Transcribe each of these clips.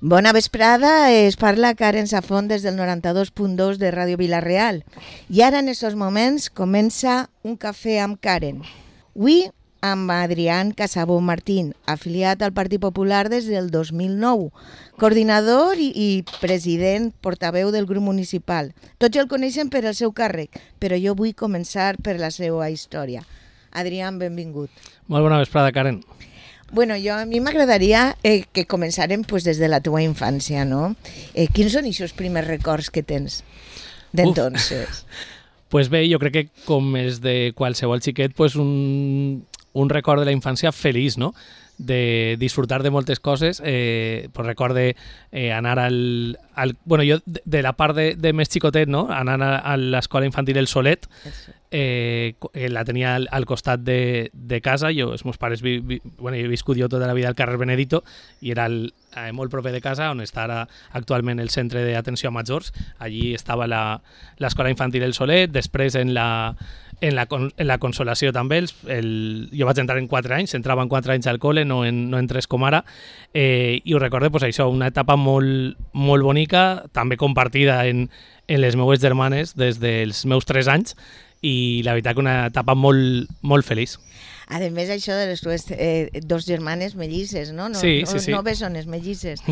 Bona vesprada, es parla Karen Safón des del 92.2 de Ràdio Vila-real. I ara, en aquests moments, comença un cafè amb Karen. Avui amb Adrián Casabó Martín, afiliat al Partit Popular des del 2009, coordinador i president portaveu del grup municipal. Tots el coneixen per el seu càrrec, però jo vull començar per la seva història. Adrián, benvingut. Molt bona vesprada, Karen. Bueno, a mi m'agradaria que començarem des de la teva infància, no? Quins són aquests primers records que tens d'entonces? Pues bé, jo crec que com és de qualsevol xiquet, un record de la infància feliç, no? De disfrutar de moltes coses. Pues recorde anar bueno, jo de la part de més xicotet, no? Anar a l'escola infantil El Solet, la tenia al costat de casa. Els meus pares, bueno, he viscut jo tota la vida al carrer Benedito i era molt proper de casa, on està ara actualment el centre d'atenció a majors. Allí estava l'escola infantil El Solet. Després en la Consolació també, jo vaig entrar en 4 anys, entrava en 4 anys al col·le, no en 3 com ara, i ho recordo, això, una etapa molt, molt bonica, també compartida en les meues germanes des dels meus 3 anys, i la veritat que una etapa molt, molt feliç. A més, això de les tues 2 germanes mellisses, no? Sí. No bessones, mellisses.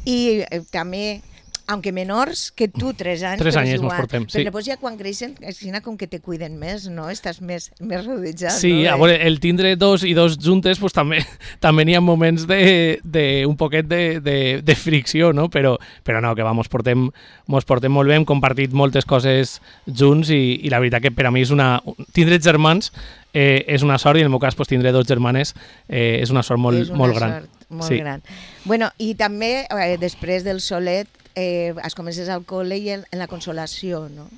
I també, aunque menors que tu, 3 anys. 3 anys ens portem, sí. Però després ja quan creixen, com que te cuiden més, no? Estàs més rodejat, sí, no? A veure, el tindre 2 i 2 juntes, pues, també n'hi ha moments un poquet de fricció, no? Però no, que mos portem molt bé, hem compartit moltes coses junts i la veritat que per a mi és tindre germans és una sort, i en el meu cas tindre 2 germanes és una sort molt gran. Molt gran. Bueno, i també després del Solet es comences al col·le i en la Consolació, no?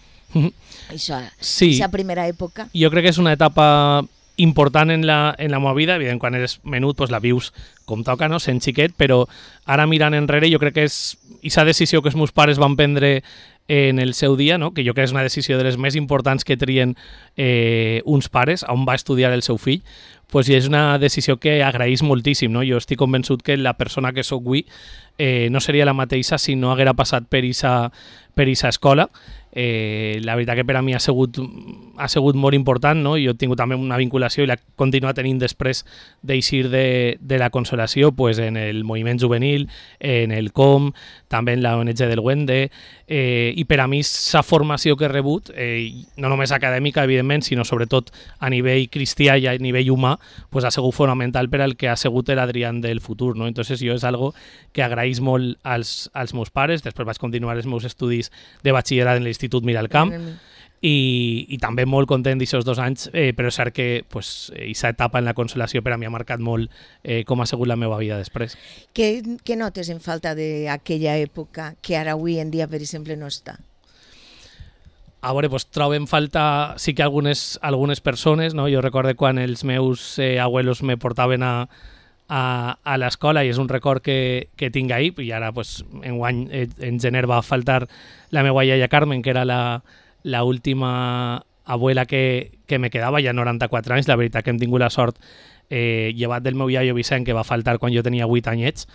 Aquesta primera època. Jo crec que és una etapa important en la meva vida. Evident, quan eres menut la vius com toca, no? Sent xiquet, però ara mirant enrere jo crec que és aquesta decisió que els meus pares van prendre en el seu dia, no? Que jo crec que és una decisió de les més importants que trien uns pares, on va estudiar el seu fill, i és una decisió que agraïs moltíssim, no? Jo estic convençut que la persona que soc avui no seria la mateixa si no haguera passat per aquesta escola. La veritat que per a mi ha sigut molt important, no? Jo he tingut també una vinculació i la continuo tenint després d'eixir de la Consolació, en el moviment juvenil, en el COM, també en la ONG del Wende, i per a mi la formació que he rebut, no només acadèmica, evidentment, sinó sobretot a nivell cristià i a nivell humà, ha sigut fonamental per al que ha sigut l'Adrián del futur, no? Entonces jo és algo que agraïs molt als meus pares. Després vaig continuar els meus estudis de batxillerat en l'Institut Miralcamp, i també molt content d'aquests 2 anys, però és cert que aquesta etapa en la Consolació per a mi ha marcat molt com ha sigut la meva vida després. Què notes en falta d'aquella època que ara avui en dia, per exemple, no està? A veure, trobo en falta sí que algunes persones, no? Jo recordo quan els meus abuelos me portaven a l'escola, i és un record que tinc ahir, i ara enguany en gener va faltar la meva iaia Carmen, que era la última abuela que me quedava, ja 94 anys. La veritat que hem tingut la sort, llevat del meu iaio Vicent, que va faltar quan jo tenia 8 anyets,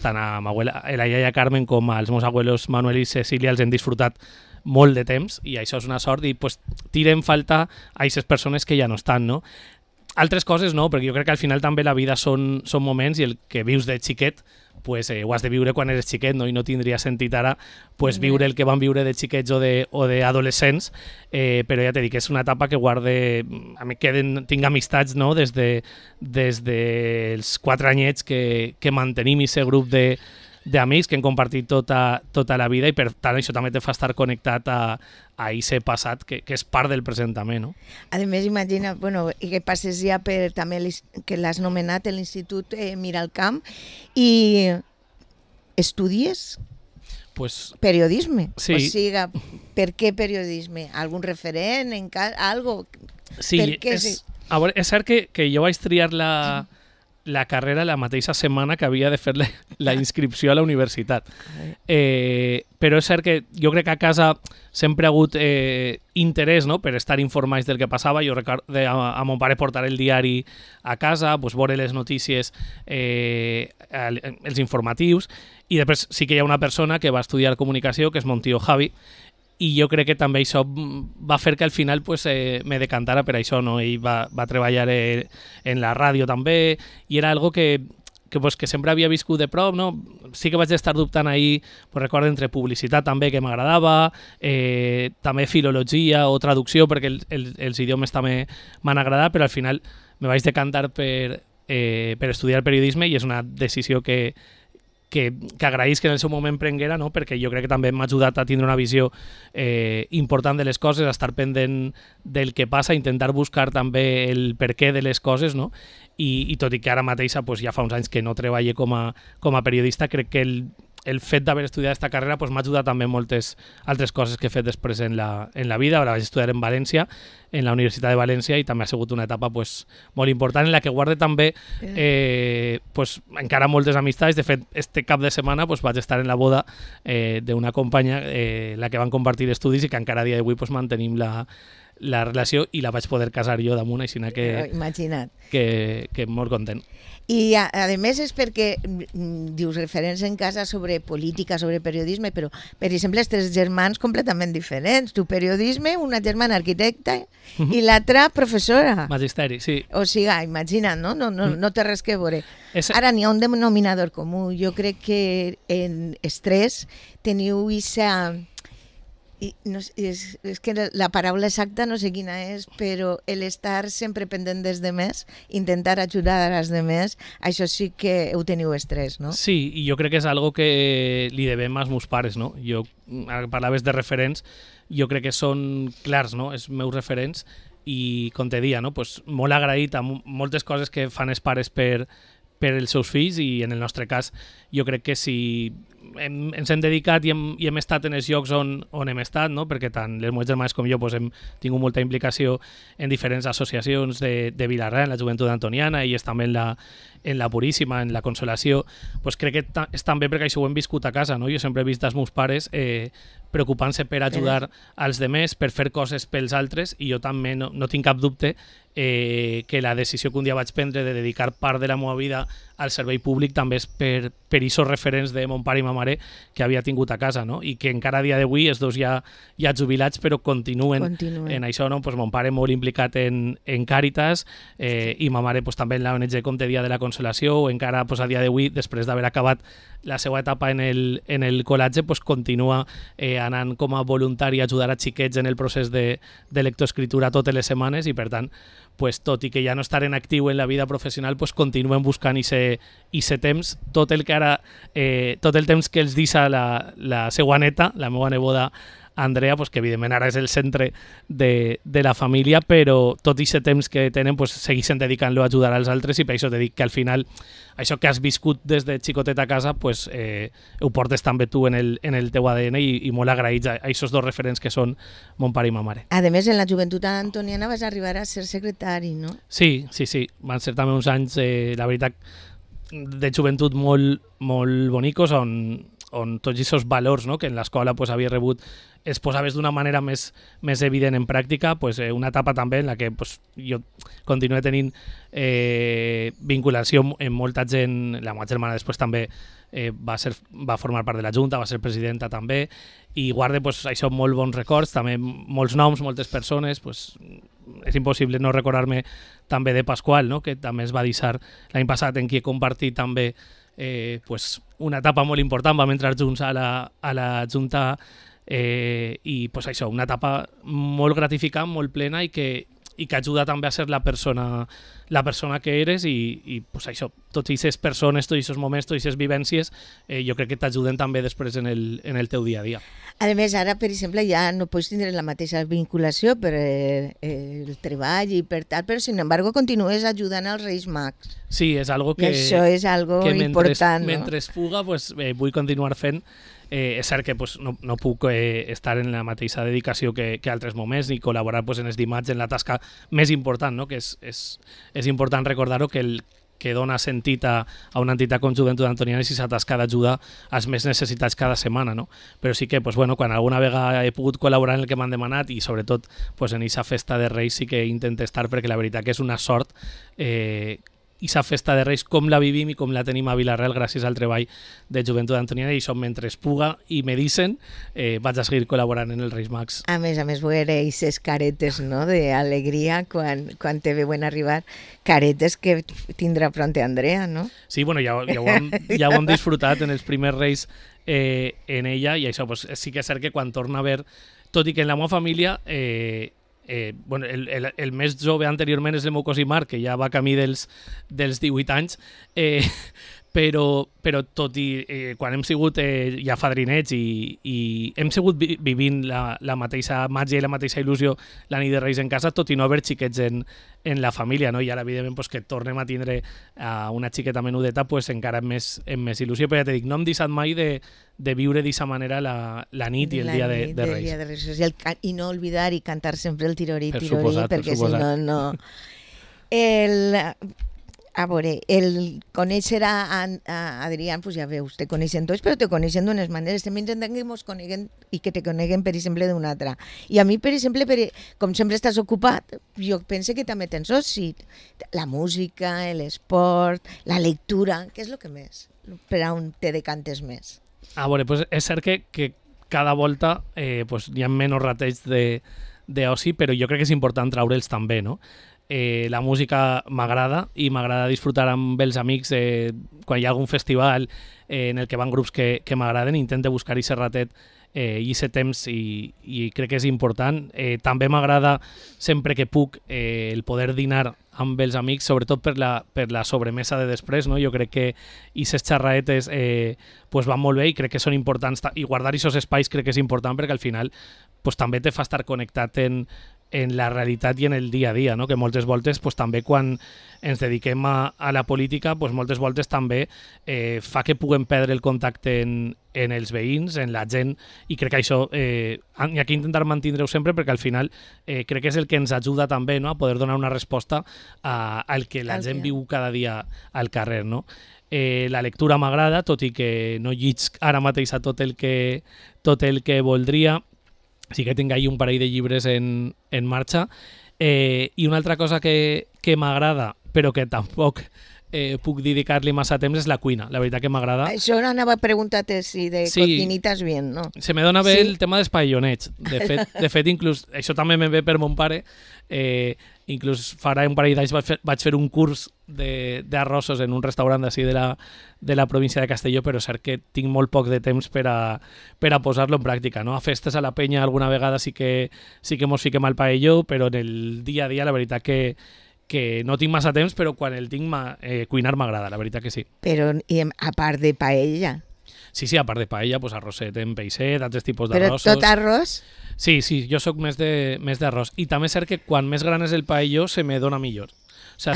tant a la iaia Carmen com als meus abuelos Manuel i Cecília els hem disfrutat molt de temps, i això és una sort, i tira en falta a aquestes persones que ja no estan, no? Altres coses no, perquè jo crec que al final també la vida són moments, i el que vius de xiquet ho has de viure quan eres xiquet, no? I no tindria sentit ara viure el que van viure de xiquets o d'adolescents, però ja t'he dit que és una etapa que guarde, a mi tinc amistats, no? Des dels 4 anyets que mantenim aquest grup d'amics que hem compartit tota la vida, i per tant això també te fa estar connectat a aquest passat que és part del present també, no? A més, imagina, que passes ja per també que l'has nomenat l'Institut Miralcamp, i estudies periodisme. Sí. O sigui, per què periodisme? Algun referent? Algo? Sí, és cert que jo vaig triar la carrera la mateixa setmana que havia de fer la inscripció a la universitat. Però és cert que jo crec que a casa sempre ha hagut interès, no?, per estar informats del que passava. Jo recordo a mon pare portar el diari a casa, pues, veure les notícies, els informatius, i després sí que hi ha una persona que va estudiar comunicació, que és mon tio Javi, i jo crec que també això va fer que al final pues, me decantara per això, no? Ell va treballar en la ràdio també, i era algo que sempre havia viscut de prop, no? Sí que vaig estar dubtant ahir, pues recordo, entre publicitat també, que m'agradava, també filologia o traducció, perquè els idiomes també m'han agradat, però al final me vaig decantar per estudiar periodisme, i és una decisió que agraïsc que en el seu moment prenguera, no? Perquè jo crec que també m'ha ajudat a tindre una visió important de les coses, a estar pendent del que passa, intentar buscar també el perquè de les coses, no? I tot i que ara mateixa pues, ja fa uns anys que no treballo com a periodista, crec que el fet d'haver estudiat aquesta carrera pues, m'ha ajudat també en moltes altres coses que he fet després en la vida. Ara vaig estudiar en València, en la Universitat de València, i també ha sigut una etapa pues, molt important, en la que guarde també pues, encara moltes amistats. De fet, este cap de setmana pues, vaig estar en la boda d'una companya, la que van compartir estudis, i que encara a dia d'avui pues, mantenim la relació, i la vaig poder casar jo damunt, així que imagina't. Que molt content. I a més és perquè dius referents en casa sobre política, sobre periodisme, però per exemple els tres germans completament diferents. Tu periodisme, una germana arquitecta i l'altra professora. Magisteri, sí. O sigui, imagina't, no té res que veure. Ara n'hi ha un denominador comú. Jo crec que en estrès teniu aquesta... No, és que la paraula exacta no sé quina és, però l'estar sempre pendent dels demés, intentar ajudar als demés, això sí que ho teniu estrès, no? Sí, i jo crec que és algo que li devem als meus pares, no? Jo, parlaves de referents, jo crec que són clars, no?, els meus referents, i com te dia, no?, pues, molt agraït a moltes coses que fan els pares per els seus fills, i en el nostre cas jo crec que si ens hem dedicat i hem estat en els llocs on hem estat, no? Perquè tant les meves germanes com jo pues, hem tingut molta implicació en diferents associacions de Vilarreal, en la Joventut Antoniana, i és també en la Puríssima, en la Consolació, pues crec que és també perquè això ho hem viscut a casa, no? Jo sempre he vist els meus pares preocupant-se per ajudar als demés, per fer coses pels altres, i jo també no tinc cap dubte que la decisió que un dia vaig prendre de dedicar part de la meva vida al servei públic també és per aquests referents de mon pare i ma mare que havia tingut a casa, no? I que encara a dia d'avui els dos ja jubilats, però continuen en això, no? Pues mon pare molt implicat en Càritas, i ma mare pues, també en la ONG Com te dia de la Consolació, o encara pues, a dia d'avui, després d'haver acabat la seva etapa en el col·latge, pues, continua anant com a voluntari a ajudar a xiquets en el procés de lectoescritura totes les setmanes, i per tant pues, tot i que ja no estaré en actiu en la vida professional, pues, continuem buscant ese temps, tot el temps que els deixa la seva neta, la meva neboda Andrea, pues, que evidentment ara és el centre de la família, però tot aquest temps que tenen pues, segueixen dedicant-lo a ajudar als altres, i per això te dic que al final això que has viscut des de xicotet a casa pues, ho portes també tu en el teu ADN, i molt agraïts a aquests dos referents que són mon pare i ma mare. A més, en la Joventut Antoniana vas arribar a ser secretari, no? Sí, van ser també uns anys, la veritat, de joventut molt, molt bonicos, on tots aquests valors, no?, que en l'escola pues, havia rebut es posaves d'una manera més evident en pràctica, pues, una etapa també en la que pues, jo continuo tenint vinculació amb molta gent. La meva germana després també va formar part de la Junta, va ser presidenta també, i guarde pues, això molt bons records, també molts noms, moltes persones. Pues, és impossible no recordar-me també de Pasqual, no?, que també es va deixar l'any passat, en qui he compartit també pues, una etapa molt important. Vam entrar junts a la Junta, i pues, això, una etapa molt gratificant, molt plena, i que ajuda també a ser la persona que eres, i pues, això, totes aquestes persones, tots aquests moments, totes aquestes vivències, jo crec que t'ajuden també després en el teu dia a dia. A més, ara, per exemple, ja no pots tindre la mateixa vinculació per el treball i per tal, però, sin embargo, continues ajudant als Reis Mags. Sí, és algo que... I això és algo important, no? Mentre puga, pues, vull continuar fent. És cert que pues, no puc estar en la mateixa dedicació que altres moments, ni col·laborar pues, en els dimarts en la tasca més important, no? Que és important recordar-ho, que dona sentit a una entitat com Joventut Antoniana i si s'atasca d'ajuda als més necessitats cada setmana, no? Però sí que, pues, bueno, quan alguna vegada he pogut col·laborar en el que m'han demanat i sobretot pues, en aquesta festa de Reis sí que intento estar perquè la veritat que és una sort aquesta festa de Reis com la vivim i com la tenim a Vila-real gràcies al treball de Joventut Antoniana i som mentre es puga i me dicen vaig a seguir col·laborant en els Reis Mags. A més, veure aquestes caretes, no?, d'alegria quan te veuen arribar, caretes que tindrà pronte Andrea, no? Sí, bueno, ja ho hem disfrutat en els primers Reis en ella i això pues, sí que és cert que quan torna a ver, tot i que en la meva família bueno, el més jove anteriorment és el meu cosí Marc, que ja va camí dels 18 anys, però tot i quan hem sigut ja fadrinets i hem sigut vivint la mateixa màgia i la mateixa il·lusió la nit de Reis en casa, tot i no haver xiquets en la família, no? I ara evidentment pues, que tornem a tindre una xiqueta menudeta pues, encara amb més il·lusió, però ja t'he dit, no hem deixat mai de viure d'aquesta manera la nit i el dia de Reis. I no oblidar i cantar sempre el tirorí, perquè si no... A veure, el conèixer a Adrián, pues ja veus, te coneixen tots, però te coneixen d'unes maneres. També intentem que ens coneguen i que te coneguen, per exemple, d'una altra. I a mi, per exemple, com sempre estàs ocupat, jo penso que també tens oci. La música, l'esport, la lectura, què és el que més? Per on te decantes més? A veure, pues és cert que cada volta pues, hi ha menys rateig d'oci, però jo crec que és important traure'ls també, no? La música m'agrada i m'agrada disfrutar amb els amics quan hi ha algun festival en el que van grups que m'agraden, intento buscar aquest ratet i aquest temps i crec que és important. També m'agrada sempre que puc el poder dinar amb els amics, sobretot per la sobremesa de després, no? Jo crec que aquestes xerraetes pues van molt bé i crec que són importants i guardar aquests espais crec que és important perquè al final pues, també te fa estar connectat en la realitat i en el dia a dia, no? Que moltes voltes pues, també quan ens dediquem a la política pues, moltes voltes també fa que puguem perdre el contacte en els veïns, en la gent i crec que això hi ha que intentar mantenir-ho sempre perquè al final crec que és el que ens ajuda també, no? A poder donar una resposta al que la gent viu cada dia al carrer, no? La lectura m'agrada, tot i que no llisc ara mateix a tot el que voldria. Sí que tinc ahí un parell de llibres en marxa. I una altra cosa que m'agrada, però que tampoc puc dedicar-li massa temps, és la cuina. La veritat que m'agrada. Això anava a preguntar-te si de cocinitas bien, no? Se me dona bé el tema dels paellonets. De fet, inclús, això també me ve per mon pare. Inclús farà un parell d'anys vaig fer un curs d'arrossos en un restaurant d'ací de la província de Castelló, però és cert que tinc molt poc de temps per a posar-lo en pràctica, no? A festes a la penya alguna vegada sí que mos fiquem al paelló, però en el dia a dia la veritat que no tinc massa temps, però quan el tinc cuinar m'agrada, la veritat que sí. Però a part de paella? Sí, a part de paella, pues arrosset en peixet, altres tipus d'arrossos. Però tot arròs? Sí, jo sóc més d'arròs. I també és cert que quan més gran és el paelló se me dona millor. O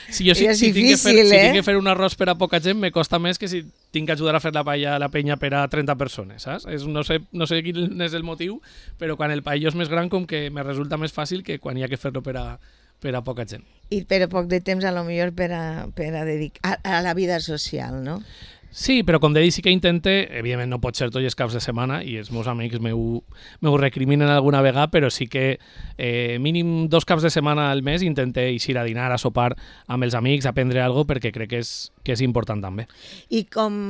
sigui, si tinc que fer un arròs per a poca gent, me costa més que si tinc que ajudar a fer la paella a la penya per a 30 persones, saps? No sé quin és el motiu, però quan el paelló és més gran com que me resulta més fàcil que quan hi ha que fer-lo per a poca gent. I per a poc de temps, a lo millor, per a dedicar a la vida social, no? Sí, però com dic, sí que intente, evidentment no pot ser tots els caps de setmana i els meus amics m'ho recriminen alguna vegada, però sí que mínim 2 caps de setmana al mes intente eixir a dinar, a sopar amb els amics, a prendre alguna cosa, perquè crec que és important també. I com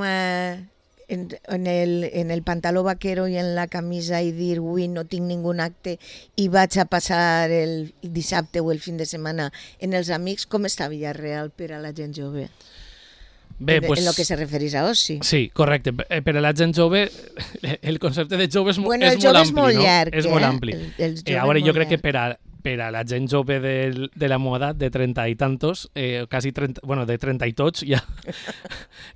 en el pantaló vaquero i en la camisa i dir avui no tinc ningú acte i vaig a passar el dissabte o el fin de setmana en els amics, com està Vila-real per a la gent jove? Bé, pues, en lo que se referís a oci. Sí, correcte. Per a la gent jove, el concepte de jove és molt ampli. És molt llarg. És molt ampli. A veure, jo crec que per a la gent jove de la meva edat, de 30 i tantos, quasi 30, bueno, de 30 i tots, ja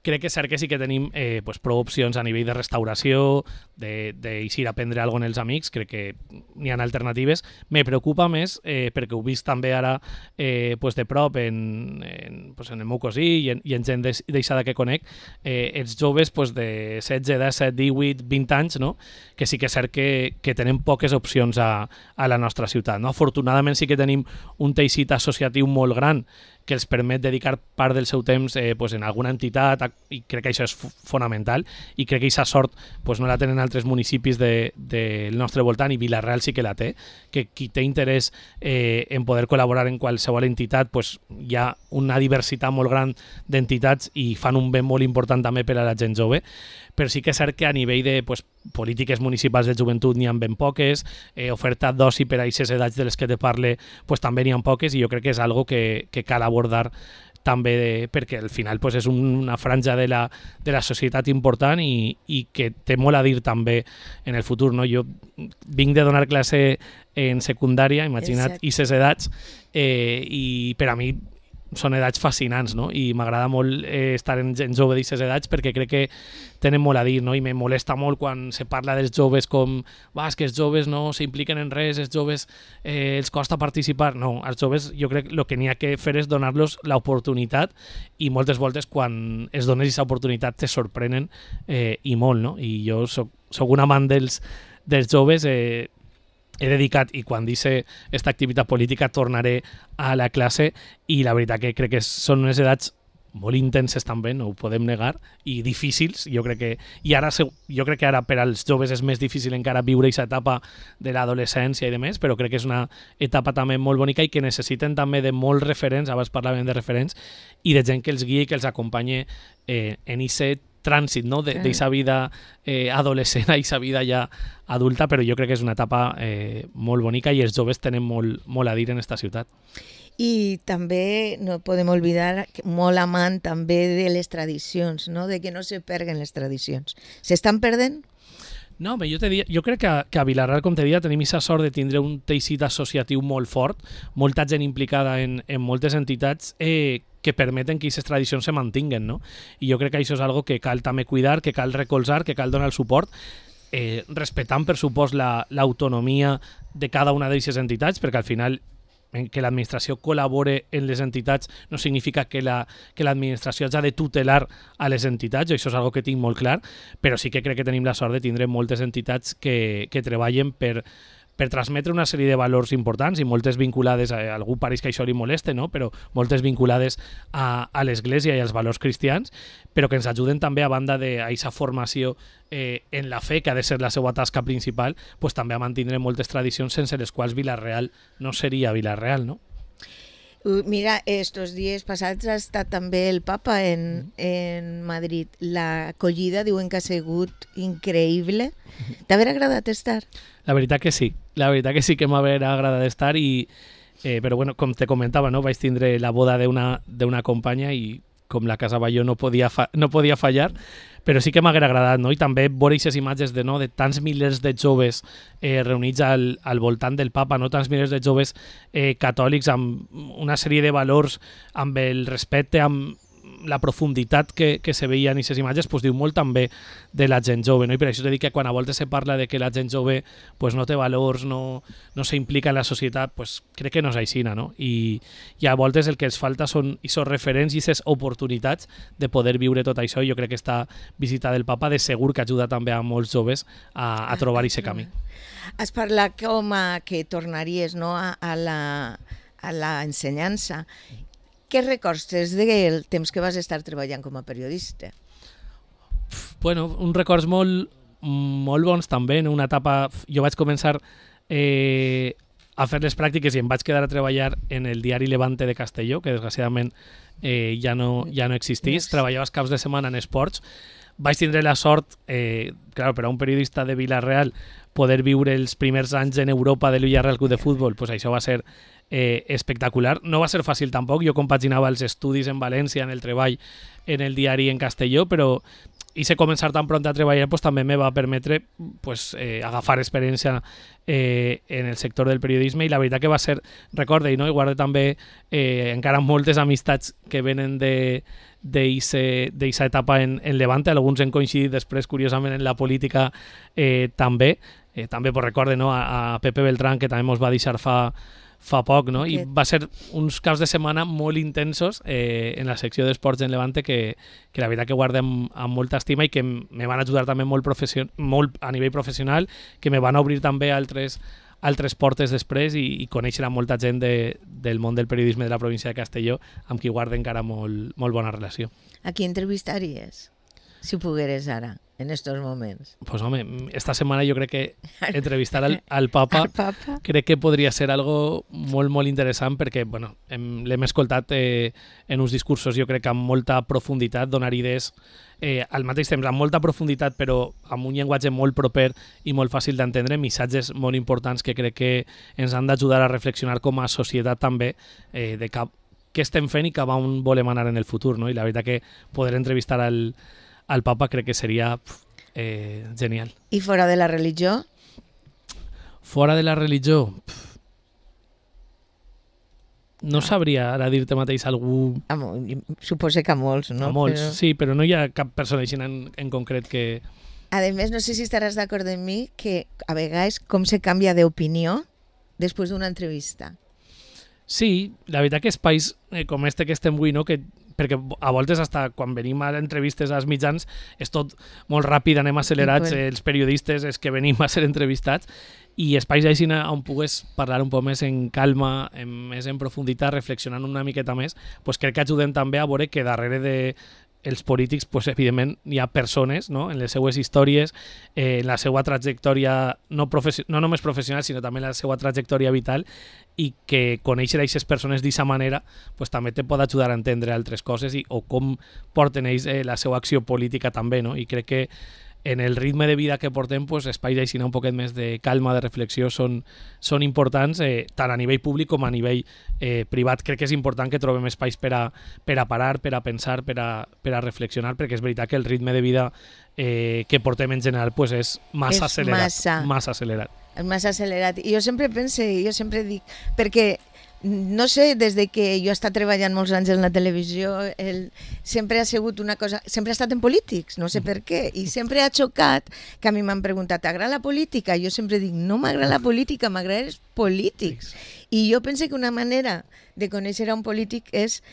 crec que és cert que sí que tenim pues, prou opcions a nivell de restauració, d'eixir a prendre alguna cosa en els amics, crec que n'hi ha alternatives. Me preocupa més, perquè ho he vist també ara pues, de prop en el meu cosí i en gent deixada que conec, els joves pues, de 16, 17, 18, 20 anys, no? Que sí que és cert que tenen poques opcions a la nostra ciutat. No? Afortunadament sí que tenim un teixit associatiu molt gran que els permet dedicar part del seu temps pues en alguna entitat, i crec que això és fonamental, i crec que aquesta sort pues no la tenen altres municipis del nostre voltant, i Vila-real sí que la té, que qui té interès en poder col·laborar en qualsevol entitat, pues hi ha una diversitat molt gran d'entitats i fan un bé molt important també per a la gent jove, però sí que és cert que a nivell de pues, polítiques municipals de joventut n'hi ha ben poques, oferta d'oci per a aquestes edats de les que te parle pues, també n'hi ha poques, i jo crec que és algo que cal abordar també, perquè al final pues, és una franja de la societat important i que té molt a dir també en el futur. No? Jo vinc de donar classe en secundària, imagina't, i ses edats, i per a mi són edats fascinants, no? I m'agrada molt estar en gent jove d'aquestes edats perquè crec que tenen molt a dir, no? I me molesta molt quan se parla dels joves com és que els joves no s'impliquen en res, els joves els costa participar. No, als joves jo crec que el que n'hi ha que fer és donar-los l'oportunitat, i moltes voltes quan es dones aquesta oportunitat te sorprenen i molt, no? I jo soc un amant dels joves, he dedicat, i quan dice esta activitat política tornaré a la classe, i la veritat que crec que són unes edats molt intenses també, no ho podem negar, i difícils. Jo crec que ara per als joves és més difícil encara viure aquesta etapa de l'adolescència i de més, però crec que és una etapa també molt bonica i que necessiten també de molts referents, abans parlàvem de referents, i de gent que els guiï i que els acompanyi en aquest trànsit, no? D'eixa vida adolescent a eixa vida ja adulta, però jo crec que és una etapa molt bonica i els joves tenen molt a dir en esta ciutat. I també no podem oblidar molt amant també de les tradicions, no? De que no se perden les tradicions. S'estan perdent? No, jo crec que a Vila-real, com te deia, tenim aquesta sort de tindre un teixit associatiu molt fort, molta gent implicada en moltes entitats que permeten que aquestes tradicions se mantinguen, no? I jo crec que això és algo que cal també cuidar, que cal recolzar, que cal donar el suport, respectant, per supost, l'autonomia de cada una d'aquestes entitats, perquè al final que l'administració col·labore en les entitats no significa que l'administració hagi de tutelar a les entitats, això és una que tinc molt clar, però sí que crec que tenim la sort de tindre moltes entitats que treballen per transmetre una sèrie de valors importants, i moltes vinculades, a algú pareix que això li moleste, no? Però moltes vinculades a l'Església i als valors cristians, però que ens ajuden també, a banda d'aquesta formació en la fe, que ha de ser la seva tasca principal, pues, també a mantenir moltes tradicions sense les quals Vila-real no seria Vila-real, no? Mira, estos dies passats ha estat també el papa en Madrid. L'acollida diuen que ha sigut increïble. T'haver agradat estar? La veritat que sí que m'haver agradat estar, però bueno, com te comentava, no? Vaig tindre la boda d'una companya i com la Casa Batlló no podia fallar, però sí que m'haguera agradat, no? I també veure aquestes imatges de tants milers de joves reunits al voltant del papa, no? Tants milers de joves catòlics amb una sèrie de valors, amb el respecte, amb la profunditat que se veia en aquestes imatges, pues, diu molt també de la gent jove, no? I per això t'he dit que quan a voltes se parla de que la gent jove pues, no té valors, no s'implica en la societat, pues, crec que no és així, no? I a voltes el que els falta són aquests referents i aquestes oportunitats de poder viure tot això, i jo crec que esta visita del papa de segur que ajuda també a molts joves a trobar aquest camí. Has parlat com que tornaries, no, a l'ensenyança. Què records tens del temps que vas estar treballant com a periodista? Bueno, uns records molt bons també, en una etapa. Jo vaig començar a fer les pràctiques i em vaig quedar a treballar en el diari Levante de Castelló, que desgraciadament ja no existís. Treballava els caps de setmana en esports. Vaig tindre la sort, per a un periodista de Vila-real, poder viure els primers anys en Europa de l'Villarreal Club de Futbol, pues això va ser espectacular. No va ser fàcil tampoc, jo compaginava els estudis en València, en el treball en el diari en Castelló, però i començar tan pront a treballar pues, també me va permetre pues, agafar experiència en el sector del periodisme, i la veritat que va ser, recorde, no? I guardo també encara moltes amistats que venen d'eixa etapa en Levante, alguns hem coincidit després, curiosament, en la política també pues, recorde, no? A Pepe Beltrán, que també ens va deixar fa poc, no? I va ser uns caps de setmana molt intensos en la secció d'esports en Levante que la veritat que guardem amb molta estima i que me van ajudar també molt a nivell professional, que me van obrir també altres altres portes després i conèixer a molta gent del món del periodisme de la província de Castelló, amb qui guarda encara molt bona relació. A qui entrevistaries, si pogueres ara, en estos moments? Pues home, esta setmana jo crec que entrevistar al Papa, crec que podria ser algo molt interessant perquè bueno, l'hem escoltat en uns discursos jo crec que amb molta profunditat, donar idees al mateix temps amb molta profunditat però amb un llenguatge molt proper i molt fàcil d'entendre, missatges molt importants que crec que ens han d'ajudar a reflexionar com a societat també de què estem fent i cap a on volem anar en el futur, no? I la veritat que poder entrevistar al Papa crec que seria genial. I fora de la religió? Fora de la religió? No sabria ara dir-te mateix algú... Suposo que a molts, no? A molts, sí, però no hi ha cap persona així en concret que... A més, no sé si estaràs d'acord amb mi que a vegades com se canvia d'opinió després d'una entrevista. Sí, la veritat que espais com este que estem avui, no? Perquè a voltes hasta quan venim a entrevistes als mitjans és tot molt ràpid, anem accelerats, els periodistes és que venim a ser entrevistats i espais així on pugues parlar un poc més en calma, més en profunditat, reflexionant una miqueta més, pues crec que ajuden també a veure que darrere dels polítics, pues, evidentment, hi ha persones, no? En les seues històries, en la seva trajectòria no només professional, sinó també en la seva trajectòria vital, i que conèixer aquestes persones d'aquesta manera pues, també te pot ajudar a entendre altres coses o com porten ells la seva acció política també, no? I crec que en el ritme de vida que portem, pues, espais així un poquet més de calma, de reflexió, són importants, tant a nivell públic com a nivell privat. Crec que és important que trobem espais per a parar, per a pensar, per a reflexionar, perquè és veritat que el ritme de vida que portem en general pues, és massa accelerat. Massa accelerat. I jo sempre pense, jo sempre dic, perquè no sé, des de que jo he estat treballant molts anys en la televisió, sempre ha sigut una cosa... Sempre he estat en polítics, no sé per què, i sempre ha xocat que a mi m'han preguntat, t'agrada la política? Jo sempre dic, no m'agrada la política, m'agrada els polítics. I jo penso que una manera de conèixer a un polític és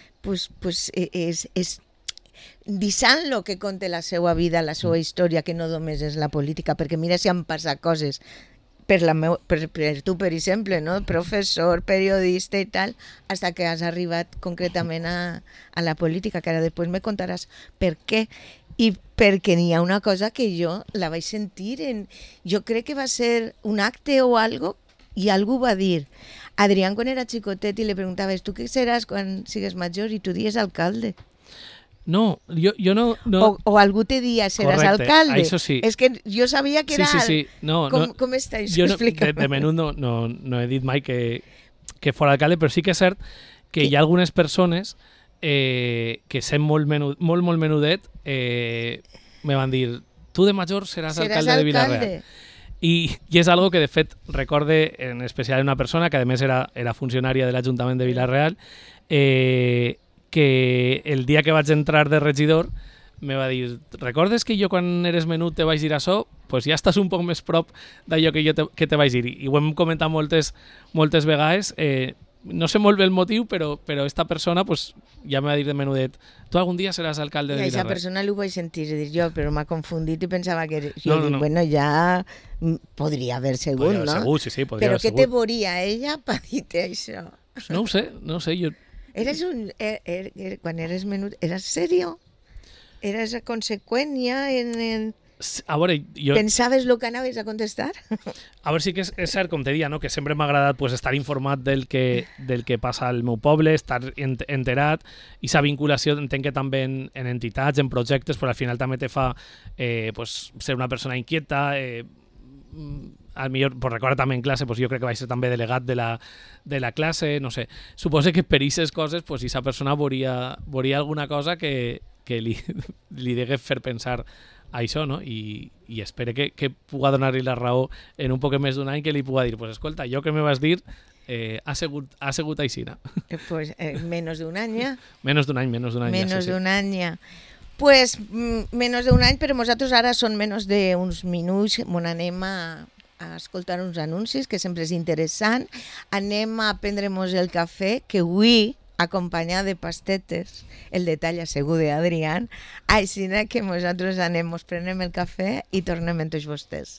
deixant lo que conta la seva vida, la seva història, que no només és la política, perquè mira si han passat coses per tu, per exemple, no? Professor, periodista i tal, fins que has arribat concretament a la política, que ara després me contaràs per què. I perquè n'hi ha una cosa que jo la vaig sentir, jo crec que va ser un acte o algo, i algú va dir, Adrián quan era xicotet i li preguntaves, tu què seràs quan sigues major? I tu dies alcalde. No, jo no... O algú te dia, seràs alcalde. Això sí. És que jo sabia que era... Sí. Com està això? De menut no he dit mai que fos alcalde, però sí que és cert que hi ha algunes persones que sent molt menudet me van dir, tu de major seràs alcalde de Vila-real. I és algo que de fet recorde en especial una persona que a més era funcionària de l'Ajuntament de Vila-real, que el dia que vaig entrar de regidor me va dir, recordes que jo quan eres menut te vaig dir això? Pues ja estàs un poc més prop d'allò que te vaig dir. I ho hem comentat moltes vegades. No sé molt bé el motiu, però esta persona pues, ja me va dir de menudet, tu algun dia seràs alcalde de Vila-real. I aquesta persona l'ho vaig sentir dir jo, però m'ha confundit i pensava que... No. Bueno, ja podria haver sigut, no? Segur, sí, podria haver sigut. Però què te veuria ella per dir-te això? No ho sé, jo... Quan eres menut, eres serio? Eres conseqüent ja en... A veure, jo... Pensaves el que anaves a contestar? A veure, sí que és cert, com te deia, no? Que sempre m'ha agradat pues, estar informat del que passa al meu poble, estar enterat, i sa vinculació entenc que també en entitats, en projectes, però al final també te fa pues, ser una persona inquieta, al millor, pues recorda també en classe, pues jo crec que vaig ser també delegat de la classe, no sé. Suposo que per aquestes coses, pues, aquesta persona veuria alguna cosa que li degués fer pensar a això, no? I espero que puga donar-li la raó en un poc més d'un any, que li puga dir, pues escolta, jo que me vas dir ha sigut aixina. Pues menos d'un any ja. Menos d'un any. Menos d'un any ja. Pues menos d'un any, però nosaltres ara són menys d'uns minuts, on anem a escoltar uns anuncis, que sempre és interessant. Anem a prendre'ns el cafè, que avui, acompanyat de pastetes, el detall segur d'Adrián, així que nosaltres anem, ens prenem el cafè i tornem amb tots vostès.